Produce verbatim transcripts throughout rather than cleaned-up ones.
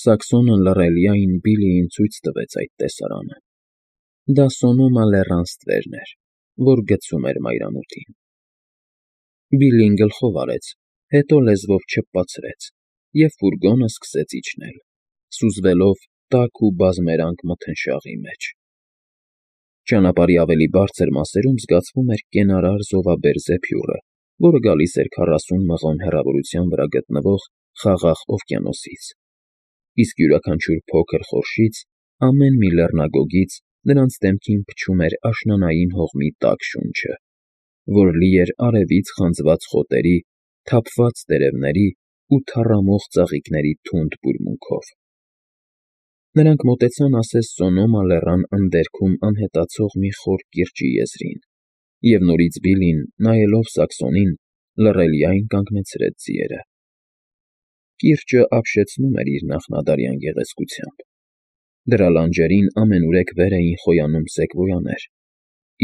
Սաքսոնը լռելիայն Բիլիին ցույց տվեց այդ տեսարանը. դա Սոնոմա լեռան ստվերն էր, որ գցում էր մայրամուտին։ Բիլին գլխով արեց, հետո լեզվով չփփացրեց, և ֆուրգոնը սկսեց իջնել, սուզվելով տաք ու բազմերանգ մթնշաղի մեջ։ Ճանապարհի ավելի բարձր մասերում զգացվում էր կենարար զովաբեր զեփյուռը, որը գալիս էր քառասուն մղոն հեռավորության վրա գտնվող խաղաղ օվկիանոսից, իսկ յուրաքանչյուր փոքր խորշից, ամեն մի լեռնագոգից նրանց դեմքին փչում էր աշնանային հողմի տաք շունչը, որ լի էր արևից խանձված խոտերի, թափված տերևների ու թառամող ծաղիկների թունդ բուրմունքով։ Նրանք մոտեցան ասես Սոնոմա լեռան ընդերքում անհետացող մի խոր կիրճի եզրին, և նորից Բիլին, նայելով Սաքսոնին, լռելիայն կանգնեցրեց ձիերը։ Կիրճը ապշեցնում էր իր նախնադարյան գեղեցկությամբ։ Դրա լանջերին ամենուրեք վեր էին խոյանում սեկվոյաներ,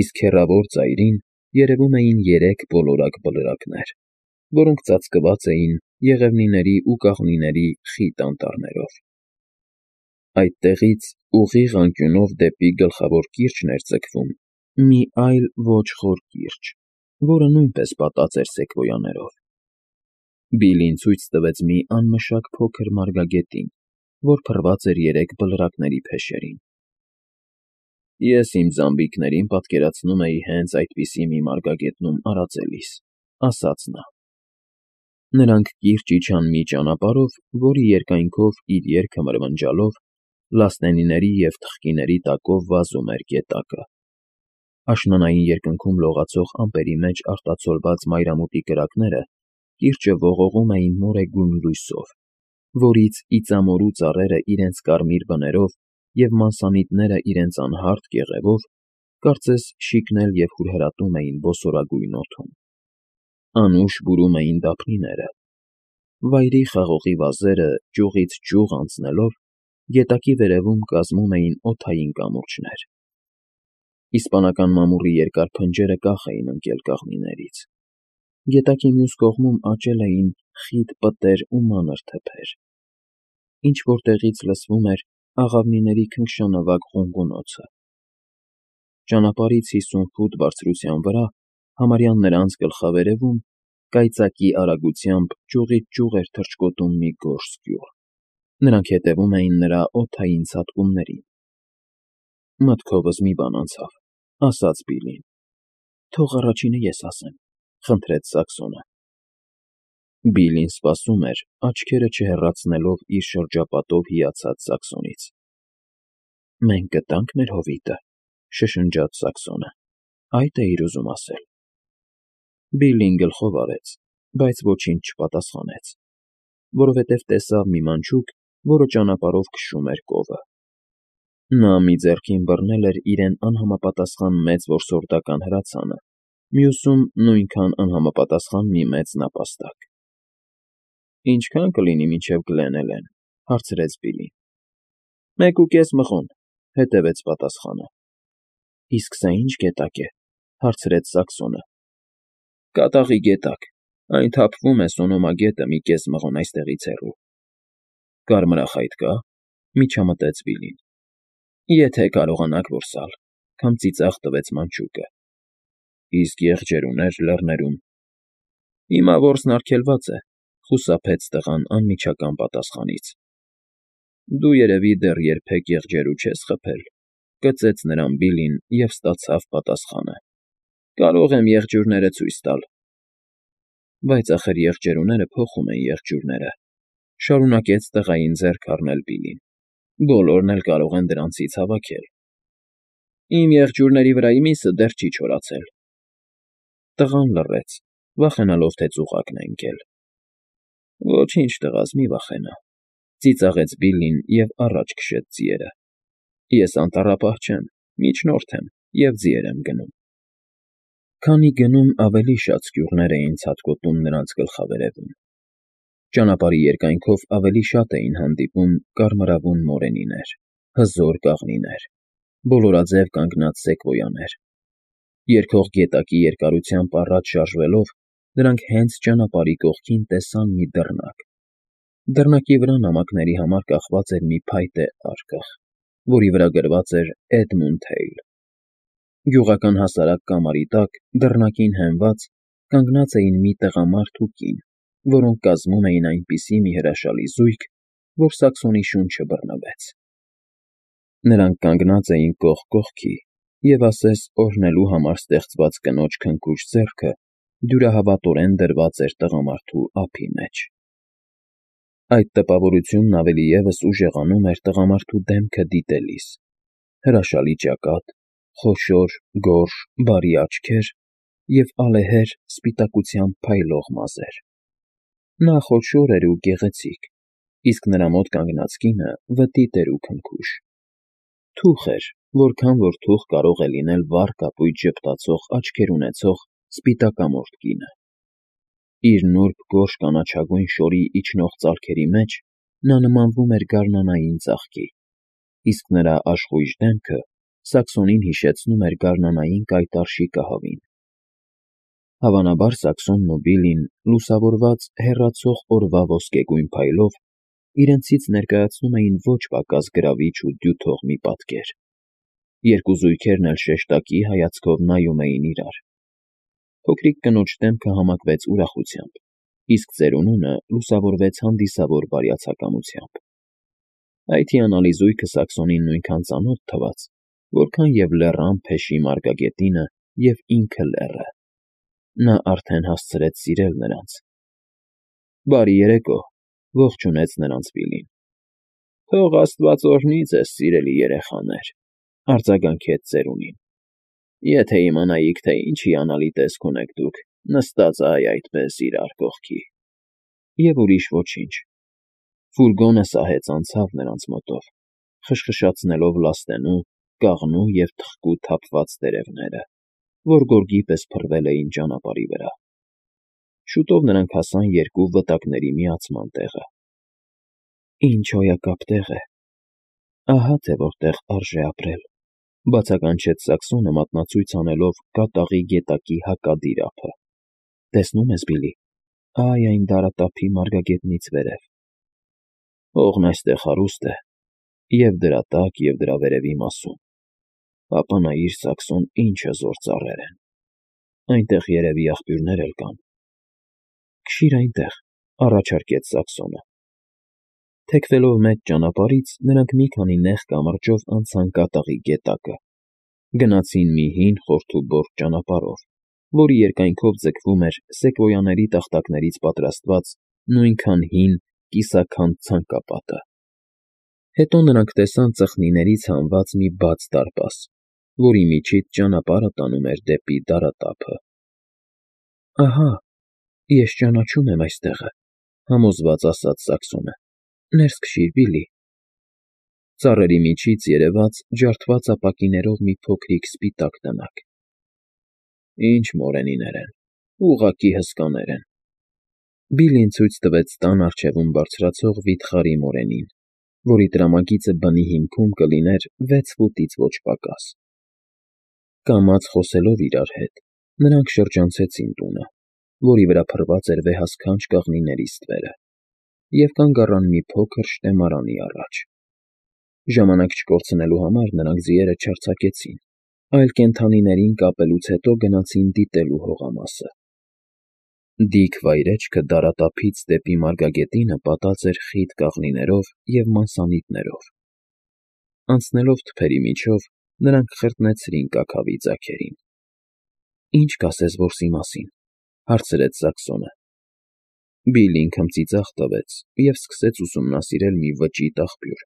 իսկ հեռավոր ծայրին երևում էին երեք բոլորակ բլրակներ, որոնք ծածկված էին եղևնիների ու կաղնիների խիտ անտառներով։ Այդտեղից ուղիղ անկյունով դեպի գլխավոր կիրճն էր ձգվում մի այլ ոչ խոր կիրճ, որը նույնպես պատած էր սեկվոյաներով։ Բիլին ցույց տվեց մի անմշակ փոքր մարգագետին, որ փռված էր երեք բլրակների փեշերին։ Ես իմ զամբիկներին պատկերացնում էի հենց այդպիսի մի մարգագետնում արածելիս, ասաց նա։ Նրանք կիրճ իջան մի ճանապարհով, որի երկայնքով իր ելքը մրմնջալով, լասնենիների և թխկիների տակով վազում էր գետակը։ Աշնանային երկնքում լողացող ամպերի մեջ արտացոլված մայրամուտի կրակները կիրճը ողողում էին մորեգույն լույսով, որից իծամորու ծառերը իրենց կարմիր բներով և մանսանիտները իրենց անհարթ կեղևով կարծես շիկնել և հուրհրատում էին ոսորագույն օդում։ Անուշ բուրում էին դափնիները։ Վայրի խաղողի վազերը, ճյուղից ճյուղ անցնելով, գետակի վերևում կազմում էին օդային կամուրջներ։ Իսպանական մամուռի երկար փնջերը կախ էին ընկել կաղնիներից։ Գետակի մյուս կողմում աճել էին խիտ պտեր ու մանր թփեր։ Ինչ֊որ տեղից լսվում էր աղավնիների քնքշանավակ ղունղունոցը։ Ճանապարհից հիսուն ֆուտ բարձրության վրա, համարյա նրանց գլխավերևում, կայծակի արագությամբ ճյուղից ճյուղ էր թռչկոտում մի գորշ սկյուռ։ Նրանք հետևում էին նրա օդային ցատկումներին։ Մտքովս մի բան անցավ, ասաց Բիլին։ Թող առաջինը ես ասեմ, խնդրեց Սաքսոնը։ Բիլին սպասում էր, աչքերը չհեռացնելով իր շրջապատով հիացած Սաքսոնից։ Մենք գտա՞նք մեր հովիտը, շշնջաց Սաքսոնը։ Այդ էիր ուզում ասել։ Բիլին գլխով արեց, բայց ոչինչ չպատասխանեց, որովհետև տեսավ մի մանչուկ, որը ճանապարհով քշում էր կովը։ Նա մի ձեռքին բռնել էր իրեն անհամապատասխան մեծ որսորդական հրացանը, մյուսում նույնքան անհամապատասխան մի մեծ նապաստակ։ Ինչքա՞ն կլինի մինչև Գլեն Էլեն, հարցրեց Բիլին։ Մեկ ու կես մղոն, հետևեց պատասխանը։ Իսկ սա ի՞նչ գետակ է, հարցրեց Սաքսոնը։ Կատաղի գետակ, այն թափվում է Սոնոմա գետը մի կես մղոն այստեղից հեռու։ Կարմրախայտ կա՞, միջամտեց Բիլին։ Եթե կարողանաք որսալ, քամ ծիծաղ տվեց մանչուկը։ Իսկ եղջերուներ լեռներում։ Հիմա որսն արգելված է, խուսափեց տղան անմիջական պատասխանից։ Դու երևի դեռ երբեք եղջերու չես խփել, կծեց նրան Բիլին և ստացավ պատասխանը։ Կարող եմ եղջյուրները ցույց տալ։ Բայց ախր եղջերուները փոխում են եղջյուրները, շարունակեց տղային ձեռք առնել Բիլին։ Բոլորն էլ կարող են դրանցից հավաքել։ Իմ եղջյուրների վրայի միսը դեռ չի չորացել։ Տղան լռեց, վախենալով, թե ծուղակն է ընկել։ Ոչինչ, տղաս, մի վախենա, ծիծաղեց Բիլին և առաջ քշեց ձիերը։ Ես անտառապահ չեմ, միջնորդ եմ և ձիեր եմ գնում։ Քանի գնում, ավելի շատ սկյուռներ էին ցատկոտում նրանց գլխավերևում։ Ճանապարհի երկայնքով ավելի շատ էին հանդիպում կարմրավուն մորենիներ, հզոր կաղնիներ, բոլորաձև կանգնած սեկվոյաներ։ Երգող գետակի երկարությամբ առաջ շարժվելով, նրանք հենց ճանապարհի կողքին տեսան մի դռնակ, Դռնակի վրա նամակների համար կախված էր մի փայտե արկղ, որի վրա գրված էր Էդմունդ Հեյլ։ Գյուղական հասարակ կամարի տակ, դռնակին հենված, կանգնած էին մի տղամարդ ու կին, որոնք կազմում էին այնպիսի մի հրաշալի զույգ, որ Սաքսոնի շունչը բռնվեց։ Նրանք կանգնած էին կողք կողքի, և ասես օրհնելու համար ստեղծված կնոջ քնքուշ ձեռքը դյուրահավատորեն դրված էր տղամարդու ափի մեջ։ Այդ տպավորությունն ավելի ևս ուժեղանում էր տղամարդու դեմքը դիտելիս. հրաշալի ճակատ, խոշոր, գորշ, բարի աչքեր և ալեհեր սպիտակությամբ փայլող մազեր։ Նա խոշոր էր ու գեղեցիկ, իսկ նրա մոտ կանգնած կինը վտիտ էր ու քնքուշ։ Թուխ էր, որքան որ թուխ կարող է լինել վառ կապույտ ժպտացող աչքեր ունեցող սպիտակամորթ կինը։ Իր նուրբ գորշ կանաչագույն շորի իջնող ծալքերի մեջ նա նմանվում էր գարնանային ծաղկի, իսկ նրա աշխույժ դեմքը Սաքսոնին հիշեցնում էր գարնանային կայտառ շիկահավին։ Հավանաբար Սաքսոնն ու Բիլլին, լուսավորված հեռացող օրվա ոսկեգույն փայլով, իրենցից ներկայացնում էին ոչ պակաս գրավիչ ու դյութող մի պատկեր։ Երկու զույգերն էլ շեշտակի հայացքով նայում էին իրար։ Փոքրիկ կնոջ դեմքը համակվեց ուրախությամբ, իսկ ծերունունը լուսավորվեց հանդիսավոր բարյացակամությամբ։ Այդ հիանալի զույգը Սաքսոնին նույնքան ծանոթ թվաց, որքան և լեռան փեշի մարգագետինը և ինքը լեռը։ Նա արդեն հասցրեց սիրել նրանց։ «Բարի երեկո», ողջունեց նրանց Բիլլին։ «Թող աստված օրհնի ձեզ, սիրելի երեխաներ», արձագանքեց ծերունին։ «Եթե իմանայիք, թե ինչ հիանալի տեսք ունեք դուք, նստած այ այդպես իրար կողքի»։ Եվ ուրիշ ոչինչ։ Ֆուրգոնը սահեց անցավ նրանց մոտով, խշխշացնելով լաստենու, կաղնու և թխկու թափված տերևները, որ գորգի պես փռվել էին ճանապարհի վրա։ Շուտով նրանք հասան երկու վտակների միացման տեղը։ «Ինչ հոյակապ տեղ է, ահա թե որտեղ արժե ապրել», բացականչեց Սաքսոնը մատնացույց անելով կատաղի գետակի հակադիր ափը։ «Տեսնո՞ւմ ես, Բիլլի, այ այն դարատափի մարգագետնից վերև։ Հողն այստեղ հարուստ է, և դրա տակ, և դրա վերևի մասում։ Ապա նայիր, Սաքսոն, ինչ հզոր ծառեր են։ Այնտեղ երևի աղբյուրներ էլ կան»։ «Քշի՛ր այնտեղ», առաջարկեց Սաքսոնը։ Թեքվելով մեծ ճանապարհից՝ նրանք մի քանի նեղ կամրջով անցան կատաղի գետակը, գնացին մի հին խորթուբորդ ճանապարհով, որի երկայնքով ձգվում էր սեկվոյաների տախտակներից պատրաստված նույնքան հին կիսաքանդ ցանկապատը։ Հետո նրանք տեսան ծխնիներից հանված մի բաց դարպաս, որի միջից ճանապարհը տանում էր դեպի դարատափը։ «Ահա, ես ճանաչում եմ այս տեղը», համոզված ասաց Սաքսոնը։ «Ներս քշիր, Բիլլի»։ Ծառերի միջից երևաց ջարդված ապակիներով մի փոքրիկ սպիտակ տնակ։ «Ինչ մորենիներ են, ուղղակի հսկաներ են»։ Բիլլին ցույց տվեց տան առջևում բարձրացող վիթխարի մորենին, որի տրամագիծը բնի հիմքում կլիներ վեց ֆուտից ոչ պակաս։ Կամաց խոսելով իրար հետ՝ նրանք շրջանցեցին տունը, որի վրա փռված էր վեհասքանչ կաղնիների ստվերը, և կանգ առան մի փոքր շտեմարանի առաջ։ Ժամանակ չկորցնելու համար նրանք ձիերը չարձակեցին, այլ կենդանիներին կապելուց հետո գնացին դիտելու հողամասը։ Դիք վայրէջքը դարատափից դեպի մարգագետինը պատած էր խիտ կաղնիներով և մասանիտներով։ Անցնելով թփերի միջով՝ նրանք խրտնեցրին կաքավի ձագերին։ «Ի՞նչ կասես որսի մասին», հարցրեց Սաքսոնը։ Բիլլին քմծիծաղ տվեց և սկսեց ուսումնասիրել մի վճիտ աղբյուր,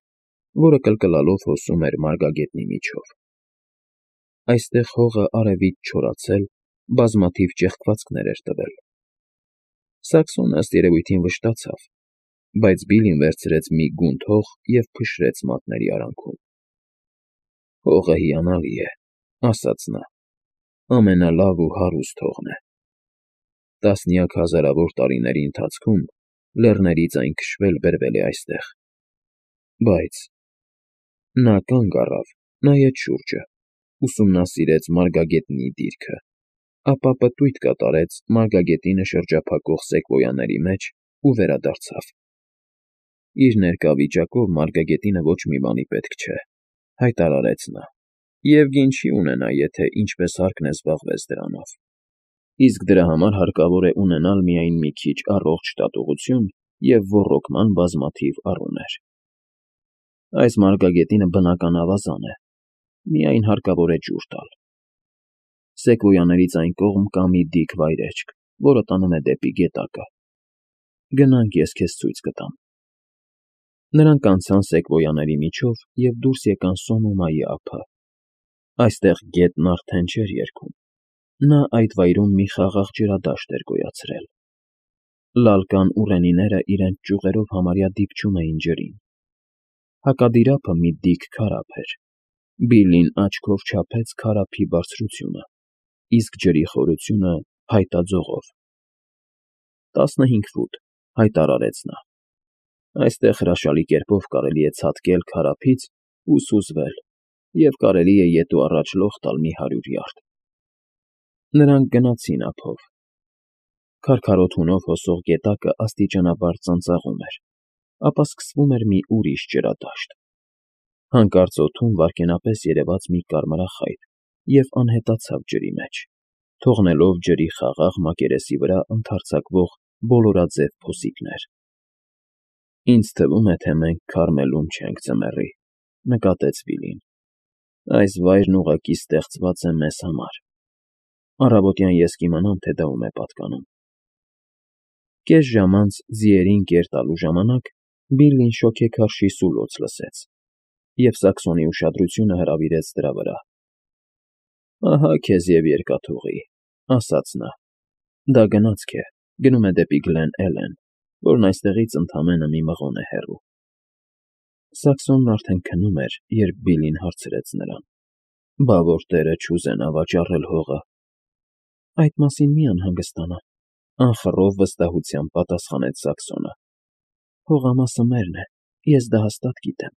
որը կլկլալով հոսում էր մարգագետնի միջով։ Այստեղ հողը արևից չորացել, բազմաթիվ ճեղքվածքներ էր տվել։ Սաքսոնը, ըստ երևույթին, վշտացավ, բայց Բիլլին վերցրեց մի գունդ հող և փշրեց մատների արանքում։ «Հողը հիանալի է», ասաց նա, «ամենալավ ու հարուստ հողն է։ Տասնյակ հազարավոր տարիների ընթացքում լեռներից այն քշվել֊բերվել է այստեղ։ Բայց…» Նա կանգ առավ, նայեց շուրջը, ուսումնասիրեց մարգագետնի դիրքը, ապա պտույտ կատարեց մարգագետինը շրջափակող սեկվոյաների մեջ ու վերադարձավ։ Իր ներկա վիճակով մարգագետինը ոչ մի բանի պետք չէ,֊ հայտարարեց նա,֊ և գին չի ունենա, եթե ինչպես հարկն է զբաղվեց դրանով, իսկ դրա համար հարկավոր է ունենալ միայն մի քիչ առողջ տատողություն և ոռոգման բազմաթիվ առուներ։ Այս մարգագետինը բնական ավազան է, միայն հարկավոր է ջուր տալ։ Սեկվոյաներից այն կողմ կա մի դիք վայրէջք, որը տանում է դեպի գետակը։ Գնանք, ես քեզ ցույց կտամ։ Նրանք անցան սեկվոյաների միջով և դուրս եկան Սոնոմայի ափը։ Այստեղ գետն արդեն չէր երգում, նա այդ վայրում մի խաղաղ ջրադաշտ էր գոյացրել։ Լալկան ուռենիները իրենց ճյուղերով համարյա դիպչում էին ջրին։ Հակադիրափը մի դիք քարափ էր։ Բիլլին աչքով չափեց քարափի բարձրությունը, իսկ ջրի խորությունը փայտաձողով։ «Տասնհինգ ֆուտ,֊ հայտարարեց նա։ Այստեղ հրաշալի կերպով կարելի է ցատկել քարափից ու սուզվել և կարելի է ետ ու առաջ լող տալ մի հարյուր յարդ»։ Նրանք գնացին ափով։ Քարքարոտ հունով հոսող գետակը աստիճանաբար ծանծաղում էր, ապա սկսվում էր մի ուրիշ ջրադաշտ։ Հանկարծ օդում վայրկենապես երևաց մի կարմրախայտ և անհետացավ ջրի մեջ, թողնելով ջրի խաղաղ մակերեսի վրա ընդարձակվող բոլորաձև փոսիկներ։ «Ինձ թվում է, թե մենք Քարմելում չենք, ձմեռի,֊ նկատեց Բիլլին։ Այս վայրն ուղղակի ստեղծված է մեզ համար։ Առավոտյան ես կիմանամ, թե դա ում է պատկանում»։ Կես ժամ անց ձիերին կեր տալու ժամանակ Բիլլին շոգեքարշի սուլոց լսեց և Սակսոնի ուշադրությունը հրավիրեց դրա վրա։ «Ահա քեզ և երկաթուղի,֊ ասաց նա,֊ դա գնացք է, գնում է դեպի Գլեն Էլեն, որն այստեղից ընդամենը մի մղոն է հեռու»։ Սակսոնն արդեն քնում էր, երբ Բիլլին հարցրեց նրան. «Բա որ տերը չուզենա վաճառել հողը»։ «Այդ մասին մի անհանգստանա,֊ անխռով վստահությամբ պատասխանեց Սակսոնը։ Հողամասը մերն է, ես դա հաստատ գիտեմ։